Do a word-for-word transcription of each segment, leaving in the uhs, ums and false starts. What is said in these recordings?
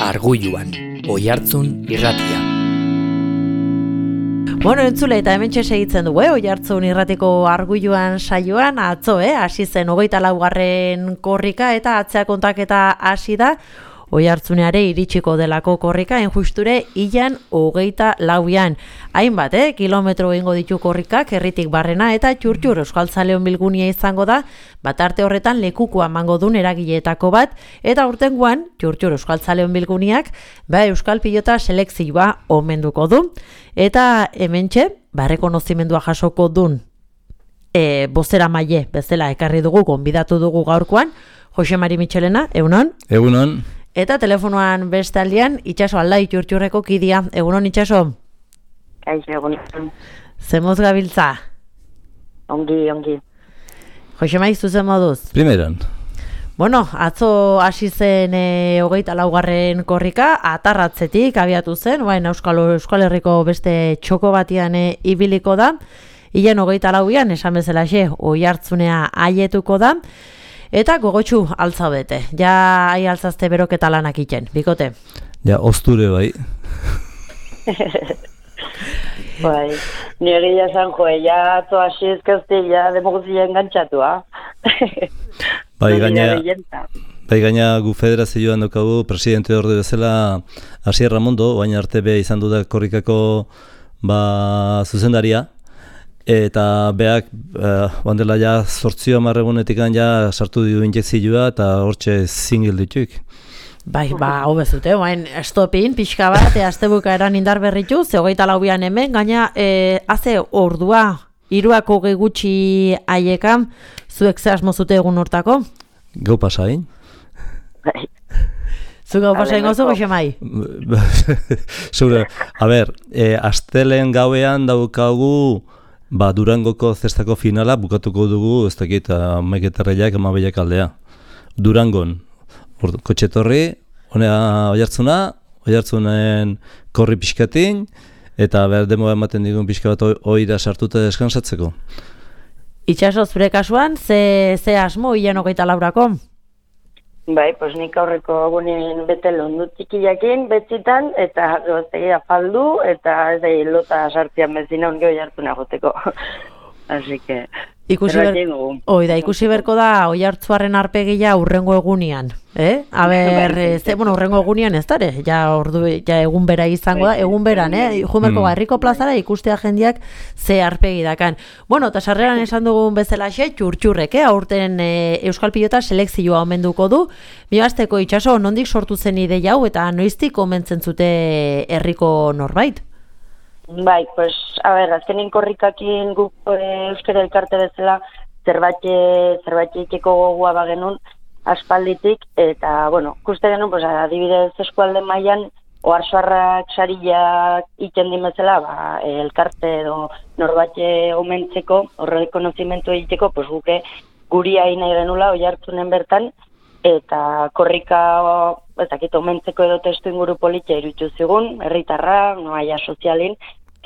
Arguluan, Oihartzun irratia. Bueno, entzule eta hementxe segitzen dugu, eh? Oihartzun irratiko Arguluan saioan, atzo, eh? Hasi zen hogeita laugarren korrika eta atzea kontaketa hasi da. Oihartzuneare iritsiko delako korrika, enjusture ilan hogeita lauian. Hainbat, eh? Kilometro egingo ditu korrikak, herritik barrena eta txurtxur euskaltzaleon bilgunia izango da, bat arte horretan lekukua mango dun eragileetako bat, eta urtengoan, txurtxur euskaltzaleon bilguniak, ba euskal pilota selekzioa omenduko du. Eta hementxe, ba rekonozimendua jasoko dun, e, bozera maile, bezala ekarri dugu, gonbidatu dugu gaurkoan, Jose Mari Mitxelena, egunon? Egunon. Eta telefonoan beste aldean, Itxaso Aldai txurtxurreko kidia. Egunon, Itxaso? Kaixo, egunon. Zemoz gabiltza? Ongi, ongi. Jose Mari, zuzen moduz? Primeran. Bueno, atzo hasi zen e, hogeita laugarren korrika, atarratzetik abiatu zen, baina Euskal, Euskal Herriko beste txoko batian e, ibiliko da. Ilen hogeita lauian, esan bezalaxe, Oihartzunea aietuko da. Eta gogotxu altzaudete, ja ai altzazte beroketa lanak iten, bikote? Ja, osture bai. Bai, nire ja zan joe, ja atzo hasi ezkezte, ja demoguzia engantxatua. Bai, gaina, bai, gaina gu federazioan daukagu, presidente orde bezala Asier Ramondo, baina arte be izan du da korrikako ba, zuzendaria. Eta beak, uh, bandela ja zortzio amarregunetik ja sartu dio injekzioa eta hortxe zingil dituk. Bai, ba, hau bezute, bain, estopin, pixka bat, e, astebuka eran indar berritu, ze hogeita laubian hemen, gaina, e, haze ordua, hiruako gutxi haiekan, zuek ze asmo zute egun hortako? Gau pasain. Zu gau pasain gozu, Jose Mai? Zure, a ber, e, astelen gauean daukagu, ba, Durangoko zestako finala bukatuko dugu, ez dakit, amaiketarreiak, amabeiak aldea. Durangon, ordu, kotxetorri, honea Oihartzuna, Oihartzunen korri pixkatin, eta behar demoa ematen digun pixka bat oira sartuta deskansatzeko. Itxaso, zure kasuan, ze, ze asmo hilan hogeita laurako? Bai, pues nik aurreko agunen bete londu txikiakin, betzitan, eta goztegia faldu, eta ez da lota sartzian bezina onge Oihartzuna goteko. Así que... Ikusi, ber... Oi, da, ikusi berko da Oihartzuaren arpegia urrengo egunian, eh? A ber, ze, bueno, urrengo egunian ez dare, ja, ordu, ja egun bera izango da, egun beran, eh? Jumerko mm. Herriko plazara ikustea jendiak ze arpegi dakan. Bueno, eta sarreran esan dugun bezalaxe, txurtxurrek, eh? Aurten e, Euskal Pilota selekzioa omenduko du. Migazteko Itxaso, nondik sortu zen ideia hau eta noiztik omentzen zute herriko norbait? Bai, pues, a ber, azkenin korrikakin guk e, euskara elkarte bezala zerbait zerbait ikeko gogoa bagenun aspalditik, eta, bueno, kuste genuen, pues, adibidez eskualde mailan oharsoarrak sariak iten dimezela, ba, elkarte edo norbait omentzeko, horre konozimentu egiteko, pues, guke guri hain nahi genula Oihartzunen bertan, eta korrika ez dakit omentzeko edo testu inguru politia iruditu zigun, herritarra, noaia sozialin,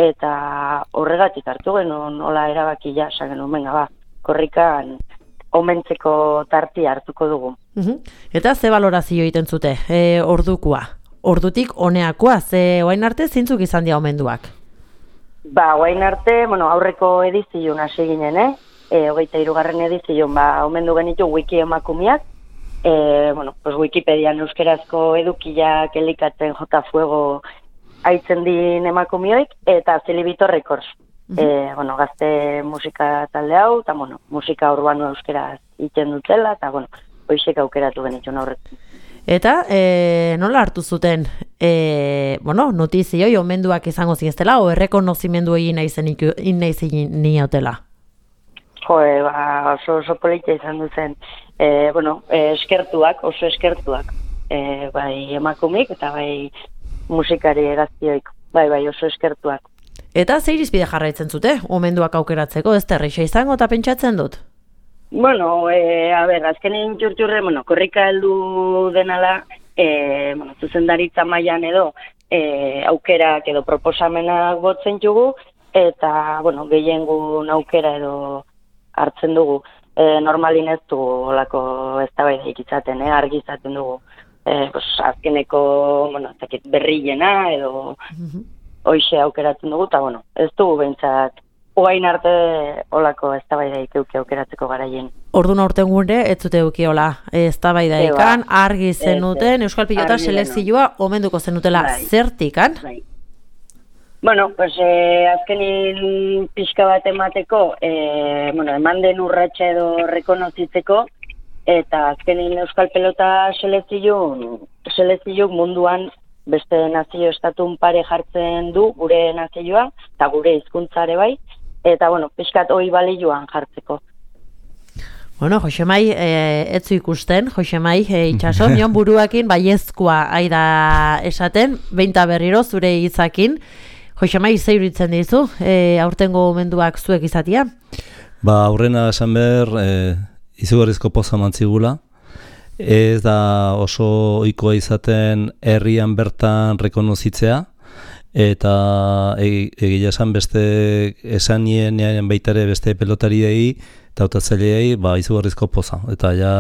eta horregatik hartu genuen nola erabaki ja, esan genuen, venga ba, korrikan omentzeko tarti hartuko dugu. Uh-huh. Eta ze balorazio egiten zute, e, ordukua? Ordutik honeakoa, ze oain arte zintzuk izan dira omenduak? Ba, oain arte, bueno, aurreko edizion hasi ginen, eh? E, hogeita hirugarren edizion, ba, omendu genitu wiki emakumiak, E, bueno, pues Wikipedian euskerazko edukiak elikatzen jota fuego haitzen din emakumioik, eta Zilibito Records. Mm-hmm. E, bueno, gazte musika talde hau, eta bueno, musika urbano euskeraz iten dutela, eta bueno, hoixek aukeratu genitxun aurretzen. Eta e, nola hartu zuten, e, bueno, notizioi omenduak izango zineztela, o errekonozimendu egin nahi niotela? Joe, ba, oso, oso politia izan duzen. E, bueno, e, eskertuak, oso eskertuak. E, bai emakumik eta bai musikari gaztioik. Bai, bai, oso eskertuak. Eta ze irizpide jarraitzen zute, omenduak aukeratzeko, ez terrixa izango eta pentsatzen dut? Bueno, e, a ber, azkenin txurtxurre, bueno, korrika heldu denala, e, bueno, zuzendaritza mailan edo, e, aukerak edo proposamenak botzen jugu, eta, bueno, gehiengun aukera edo hartzen dugu. E, normalin ez du olako eztabaidaik izaten, eh, argi izaten dugu. e, pues, azkeneko, bueno, zakit, berriena edo mm-hmm. hoixe aukeratzen dugu, eta, bueno, ez dugu behintzat, ugain arte olako eztabaidaik euki aukeratzeko garaien. Orduan aurten gure, ez zute euki hola eztabaidaikan, argi zenuten, Euskal Pilota selekzioa omenduko zenutela bai. Zertikan? Bai. Bueno, pues eh, azkenin pixka bat emateko, eh, bueno, eman den urratxa edo rekonozitzeko, eta azkenin Euskal Pelota selekzio, selekzio munduan beste nazio estatun pare jartzen du, gure nazioa, eta gure hizkuntzare bai, eta, bueno, pixkat hoi balioan jartzeko. Bueno, Josemai, eh, etzu ikusten, Josemai, eh, itxaso, nion buruakin baiezkoa aida esaten, beinta berriro zure hitzakin. Josemai, ze iruditzen dizu, eh, aurtengo menduak zuek izatia? Ba, aurrena esan behar, eh, izugarrizko poza mantzigula. Ez da oso ohikoa izaten herrian bertan rekonozitzea, eta egia esan beste esanien baitare beste pelotariei eta hautatzaileei ba izugarrizko poza, eta ja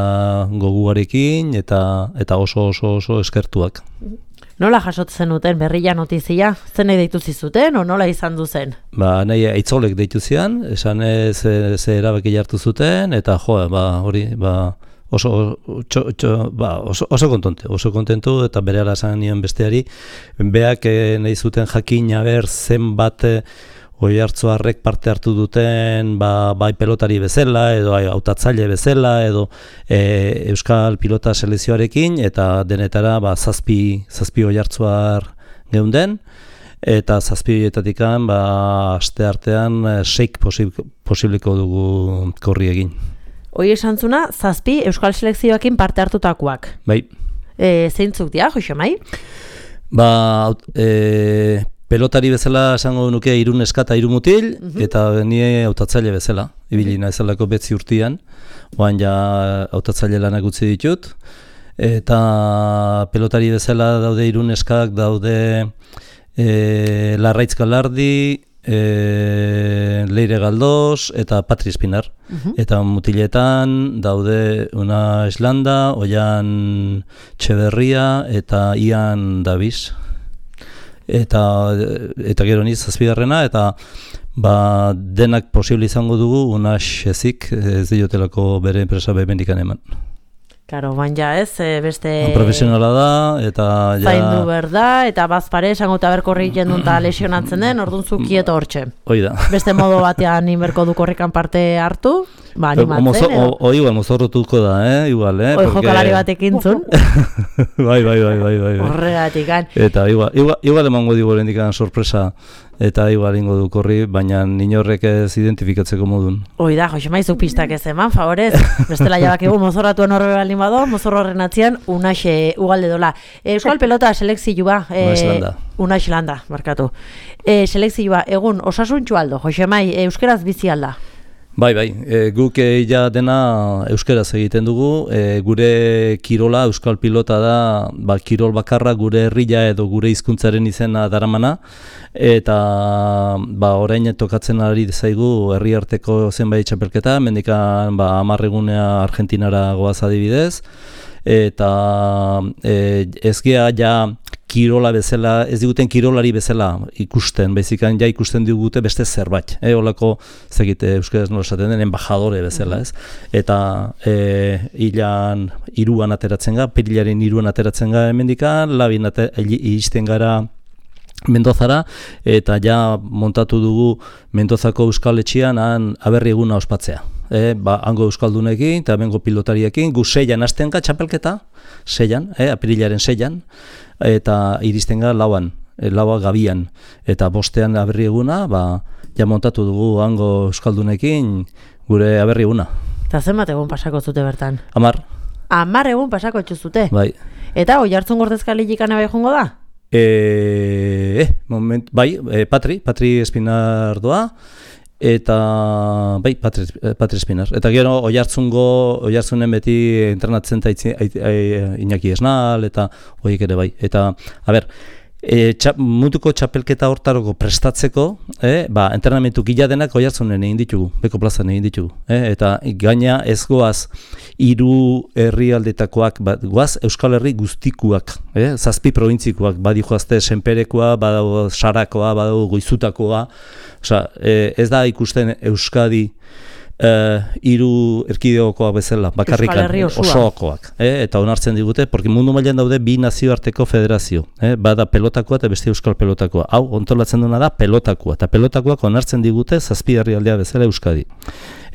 goguarekin eta eta oso oso oso eskertuak. Nola jasotzen zenuten berria notizia? Zen nahi deitu zizuten, o nola izan du zen? Ba, nahi aitzolek deitu zian, esan ez ze erabaki hartu zuten, eta jo, ba, hori, ba, oso, txo, txo, ba, oso, oso kontonte, oso kontentu, eta bere ala esan nion besteari, beak eh, nahi zuten jakin aber zenbat Oiartzuarrek parte hartu duten ba, bai pelotari bezala, edo hautatzaile bezala, edo e, Euskal Pilota selekzioarekin, eta denetara ba, zazpi, zazpi Oiartzuar geunden, eta zazpi horietatikan ba, aste artean seik posib, posibleko dugu korri egin. Hoi esan zuna, zazpi Euskal selekzioakin parte hartutakoak. Bai. E, zeintzuk dira, Josemai? Ba, e, pelotari bezala esango nuke hiru neska eta hiru mutil, uh-huh. eta ni hautatzaile bezala, ibili naizelako betzi urtean, oan ja hautatzaile lanak utzi ditut, eta pelotari bezala daude hiru neskak, daude e, Larraitz Galardi, e, Leire Galdos eta Patri Espinar. Uh-huh. Eta mutiletan daude Una Islanda, Oian Txeberria eta Ian Davis. Eta, eta gero niz zazpigarrena, eta ba, denak posible izango dugu Unax ezik, ez diotelako bere enpresa behendikan eman. Karo, bain ja ez, beste... Profesionala da, eta ja... Zaindu berda, eta bazpare, esango eta berkorri jendun eta lesionatzen den, orduan zu kieto hortxe. Hoi da. Beste modo batean inberko du korrikan parte hartu, ba, animatzen, edo? O, igual, mozorrotuko da, eh, igual, eh? Oi, porque... jokalari batek intzun. bai, bai, bai, bai, bai. Horregatik, han. Eta igual, igual, igual emango digu lendikan sorpresa, eta igual ingo du korri, baina inorrek ez identifikatzeko modun. Hoi da, Josemai, zuk pistak ez eman, favorez. Bestela jabak egun mozorratuen horre baldin bado, mozorro horren atzian, Unaxe ugalde dola. Euskal Pelota selekzioa. E, Unax landa. Unax landa, markatu. E, selekzioa, egun, osasuntxu aldo, Josemai, euskeraz bizi alda? Bai, bai, e, guk e, ja dena euskeraz egiten dugu, e, gure kirola, Euskal Pilota da, ba, kirol bakarra gure herria edo gure hizkuntzaren izena daramana, eta ba, orain tokatzen ari zaigu herri arteko zenbait txapelketa, mendikan ba, amarregunea Argentinara goaz adibidez, eta e, ez gea ja kirola bezala, ez diguten kirolari bezala ikusten, bezikan ja ikusten digute beste zerbait, e, olako zegite euskaraz nola esaten den, embajadore bezala, ez? Eta e, hilan hiruan ateratzen ga, perilaren hiruan ateratzen ga hemendikan, labin iristen gara Mendozara, eta ja montatu dugu Mendozako Euskal Etxean han aberri eguna ospatzea. E, ba, hango euskaldunekin eta bengo pilotariekin, gu seian hasten ga txapelketa, seian, e, apirilaren seian, eta iristen ga lauan, e, laua gabian, eta bostean aberri eguna, ba, ja montatu dugu hango euskaldunekin gure aberri eguna. Eta zenbat egun pasako zute bertan? Amar. Amar egun pasako txuzute? Bai. Eta Oiartzun Gordezkalilik anabai jongo da? E, eh, moment, bai, e, Patri, Patri Espinar doa, eta bai, Patri, Patri Espinar. Eta gero Oiartzungo, Oiartzunen beti entrenatzen eta Iñaki Esnal, eta horiek ere bai. Eta, a ber, E, txap, munduko txapelketa hortaroko prestatzeko, eh, ba, entrenamentu gila denak Oiartzunen egin ditugu, Beko plazan egin ditugu. Eh, eta gaina ez goaz hiru herrialdetakoak, ba, goaz Euskal Herri guztikuak, eh, zazpi probintzikoak, badi joazte Senperekoa, badago Sarakoa, badago Goizutakoa, osea, eh, ez da ikusten Euskadi Uh, hiru erkidegokoak bezala, bakarrikan, osoakoak, eh? Eta onartzen digute, porque mundu mailan daude bi nazioarteko federazio, eh? Bada pelotakoa eta beste euskal pelotakoa. Hau, ontolatzen duena da pelotakoa, eta pelotakoak onartzen digute zazpi herrialdea bezala Euskadi.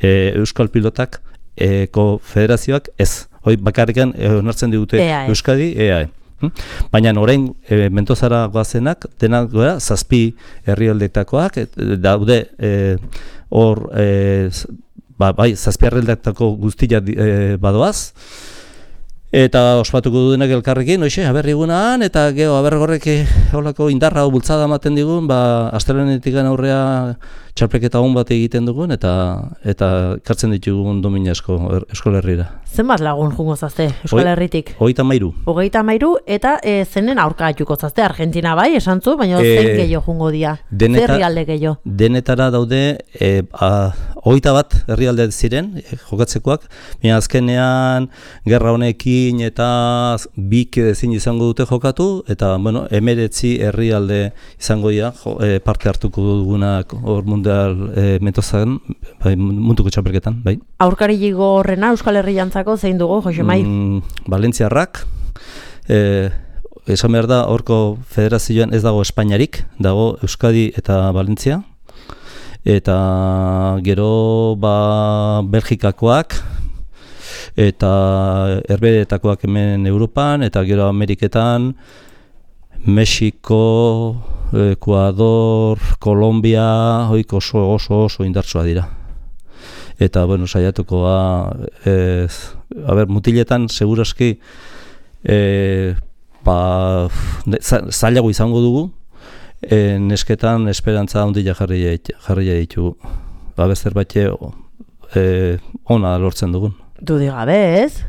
E, euskal pilotak eko federazioak ez, hoi bakarrikan e, onartzen digute E A E. Euskadi, E A E. Hm? Baina orain e, Mentozara goazenak, denak gara, zazpi herrialdetakoak, daude hor, e, Ba, bai, zazpiarreldetako guztia e, badoaz, eta ospatuko duenak elkarrekin, oixe, aberri egunan, eta geho, abergorrek holako indarra hau bultzada ematen digun, ba, astelenetik aurrea txarpeketa hon bat egiten dugun, eta eta kartzen ditugun domina esko, er, Euskal Herrira. Zenbat lagun jungo zazte Euskal Herritik? Hogeita mairu. Hogeita mairu, eta e, zenen aurka juko zazte, Argentina bai, esan zu, baina e, zen gehiago jungo dia, deneta, zer herrialde gehiago? Denetara daude, e, hogeita bat herrialde ziren, e, jokatzekoak, baina azkenean gerra honekin eta bik ezin izango dute jokatu, eta bueno, emeretzi herrialde izango dira, jo, e, parte hartuko dugunak hor mundial e, Mentozan, bai, munduko txapelketan, bai. Aurkari jigo horrena Euskal Herri jantzako zein dugu, Josemai? Mm, Valentziarrak, e, esan behar da, horko federazioan ez dago Espainiarik, dago Euskadi eta Valentzia, eta gero ba, Belgikakoak, eta herbeetakoak hemen Europan, eta gero Ameriketan, Mexiko, Ekuador, Kolombia, hoik oso oso oso indartsua dira. Eta, bueno, saiatukoa, ez, a ber, mutiletan, seguraski, e, ba, zailago izango dugu, e, nesketan esperantza handia jarri jarri ditugu. Ba, bezer batxe, e, ona lortzen dugun. Dudik gabe, ez?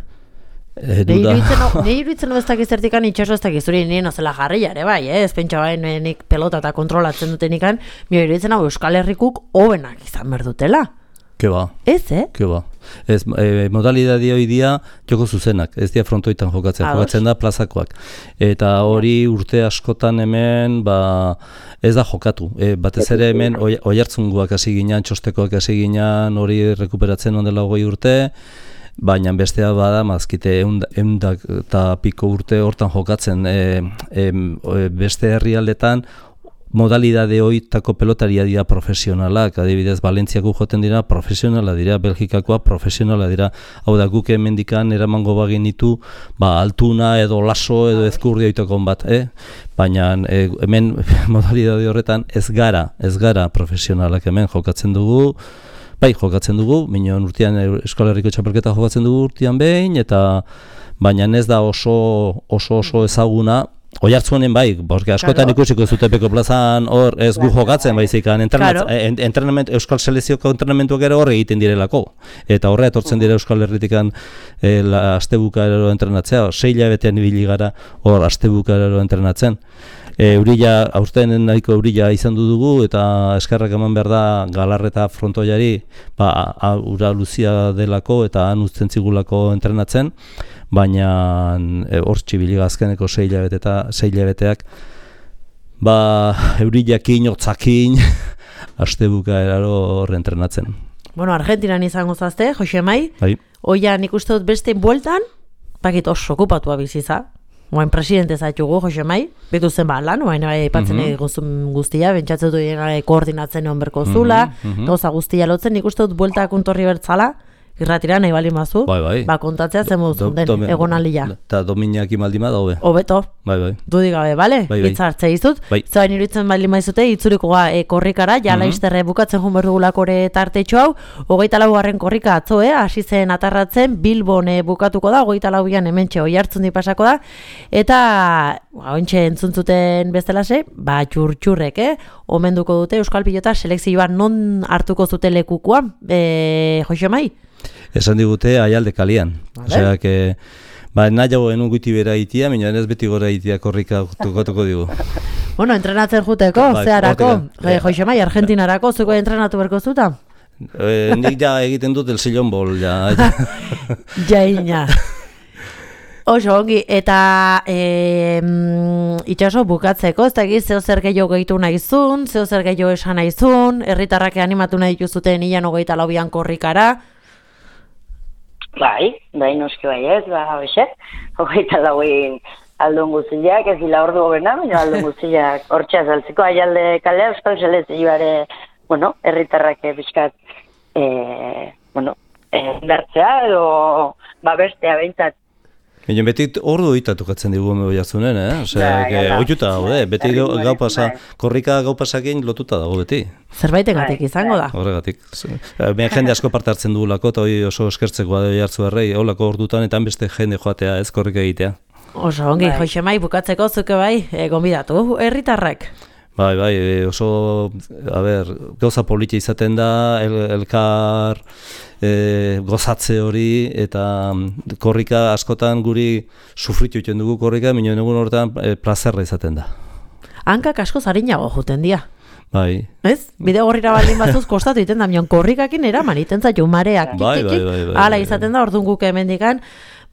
Nei iruditzen ez dakiz zertikan itxaso ez dakiz zuri nien ozela jarri jare bai, eh? Ez pentsa bai nik pelota eta kontrolatzen dutenikan, mi iruditzen hau Euskal Herrikuk hobenak izan berdutela. Ke ba. Ez, eh? Ke ba. Ez, e, modalidade hoi dia joko zuzenak, ez dia frontoitan jokatzen, Ados. jokatzen da plazakoak. Eta hori urte askotan hemen, ba, ez da jokatu. E, batez ere hemen oi, oihartzungoak hasi ginean, txostekoak hasi ginean, hori rekuperatzen ondela hogei urte, baina bestea bada, mazkite, eundak eta piko urte hortan jokatzen, e, e, beste herrialdetan, modalidade hoitako pelotaria dira profesionalak, adibidez, Valentziako joten dira profesionala dira, Belgikakoa profesionala dira, hau da guk hemendikan eramango bagenitu, ba, altuna edo laso edo ezkurri oitakon bat, eh? Baina e, hemen modalidade horretan ez gara, ez gara profesionalak hemen jokatzen dugu, bai, jokatzen dugu, minon urtean Euskal Herriko txapelketa jokatzen dugu urtean behin, eta baina ez da oso oso oso ezaguna, Oihartzunen bai, porque askotan ikusiko zute Beko plazan hor ez gu jokatzen baizik, entrenamentu, Euskal Selezioko entrenamentuak ere hor egiten direlako, eta horre etortzen dira Euskal Herritikan e, astebukaero entrenatzea, sei hilabetean ibili gara hor astebukaero entrenatzen. E, Eurila, aurten nahiko eurila izan du dugu, eta eskerrak eman behar da Galarreta frontoiari, ba, ura luzia delako eta han uzten zigulako entrenatzen, baina hor e, txibiliga azkeneko sei hilabete eta sei hilabeteak, ba, eurilakin, hotzakin, astebuka eraro hor entrenatzen. Bueno, Argentinan izango zazte, Josemai, bai. Oian ikuste dut beste bueltan, pakit oso okupatua biziza. Oain presidente zaitugu, Josemai, betu zen ba lan, oain aipatzen mm -hmm. guztun guztia, bentsatzen du koordinatzen egon berko zula, mm -hmm. gauza guztia lotzen, nik uste dut bueltak untorri bertzala, irratira nahi bali mazu, bai, bai. Ba kontatzea zen moduzun den, egon alia. Eta dominak imaldima da hobe. Hobeto. Bai, bai. Dudik gabe, bale? Bai, bai. Itzartzea izut. Bai. Zain iruditzen bali maizute, itzurikoa e, korrikara, jala mm -hmm. izterre bukatzen jun berdugulakore tartetxo hau, hogeita lau garren korrika atzo, eh? Hasi zen atarratzen, Bilbon e, bukatuko da, hogeita lau bian hementxe Oihartzun pasako da, eta ointxe entzuntzuten bestelase, ba txur-txurrek, eh? Omenduko dute Euskal Pilota selekzioa non hartuko zute lekukoa, e, Josemai? Esan digute Aialde kalian. Vale. Osea, que Ba, nahiago enun guti bera itia, baina ez beti gora itia korrika tokatuko digu. Bueno, entrenatzen juteko, Bai, zeharako, hortik, e, Joixemai, Argentinarako, zuko entrenatu berko zuta? E, nik ja egiten dut el sillon bol, ja. Jaina. Oso, ongi, eta e, mm, itxaso bukatzeko, ez da egiz, zeo zer gehiago gehitu nahizun, zeo zer gehiago esan nahizun, herritarrak animatu nahi dituzuten ilan hogeita laubian korrikara. Bai, bai, noski bai ez, ba, hoxe, hogeita lauin aldun guztiak, ez dila ordu gobena, baina aldun guztiak hortxe azaltzeko, aialde kalea, euskal selezioare, bueno, herritarrak bizkat, e, bueno, e, bertzea edo, ba, bestea behintzat. Baina beti ordu itatukatzen digu Oiartzunen, eh? Osea, ohituta daude, beti gau pasa, korrika gau pasakin lotuta dago beti. Zerbaitegatik izango da. Horregatik. Baina jende asko parte hartzen dugulako, eta hori oso eskertzeko da Oiartzuarrei, holako ordutan eta beste jende joatea, ez korrika egitea. Oso ongi, Joixemai, bukatzeko zuke bai, e, gonbidatu, herritarrak. Bai, bai, oso, a ber, gauza politia izaten da, el, elkar e, gozatze hori, eta korrika askotan guri sufritu egiten dugu korrika, minuen egun horretan e, plazerra izaten da. Hankak asko zarinago juten dia. Bai. Ez? Bide gorrira baldin batzuz kostatu iten da, mion korrikakin eraman iten zaitu mareak. Bai, bai, bai, bai, Hala izaten da, orduan guk hemendikan,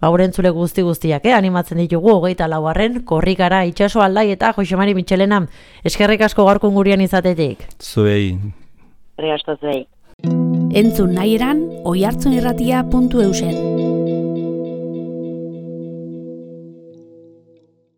Bauren zule guzti guztiak, eh? Animatzen ditugu hogeita laugarren korrikara itxaso aldai eta Joixemari Mitxelena. Eskerrik asko gaurkon gurian izatetik. Zuei. Herri asko zuei. Entzun nahi eran, oiartzunirratia puntu eusen.